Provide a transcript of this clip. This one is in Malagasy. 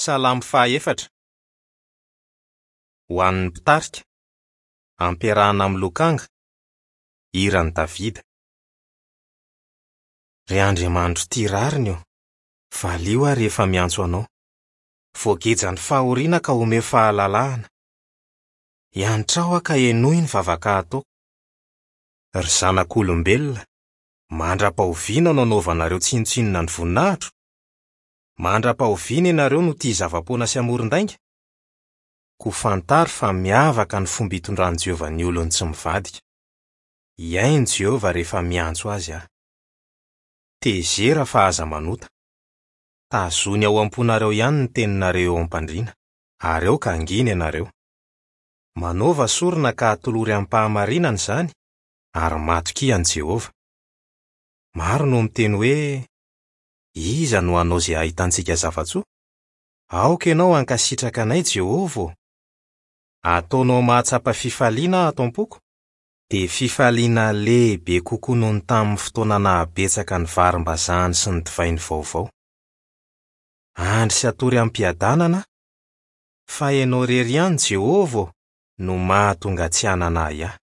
Salamo fahaefatra. Ho an'ny mpitarika. Ampiarahana amin'ny lokanga. Hiran'i Davida. Ry Andriamanitro tia rariny ô, valio aho rehefa miantso Anao. Voagejan'ny fahoriana ka omeo fahalalahana. Iantrao aho ka henoy ny vavaka ataoko. Ry zanak'olombelona, mandra-pahoviana no anaovanareo tsinontsinona ny voninahitro? Mandra-pahoviana ianareo no tia zava-poana sy hamoron-dainga? Koa fantaro fa miavaka ny fomba itondran'i Jehovah ny olony tsy mivadika. Hihaino Jehovah rehefa miantso azy aho. Tezera fa aza manota. Tazony ao am-ponareo ihany ny teninareo eo am-pandriana, ary aoka hangina ianareo. Manaova sorona ka atolory amim-pahamarinana izany, ary matokia an'i Jehovah. Maro no miteny hoe, Iza no hanao izay hahitantsika zava-tsoa? Aoka ianao hankasitraka anay, Jehovah ô! Ataonao mahatsapa fifaliana aho ato am-poko, dia fifaliana lehibe kokoa noho ny tamin'ny fotoana nahabetsaka ny varim-bazahany sy ny divainy vaovao. Handry sy hatory amim-piadanana aho, fa ianao irery ihany, Jehovah ô, no mahatonga tsy hanana ahiahy.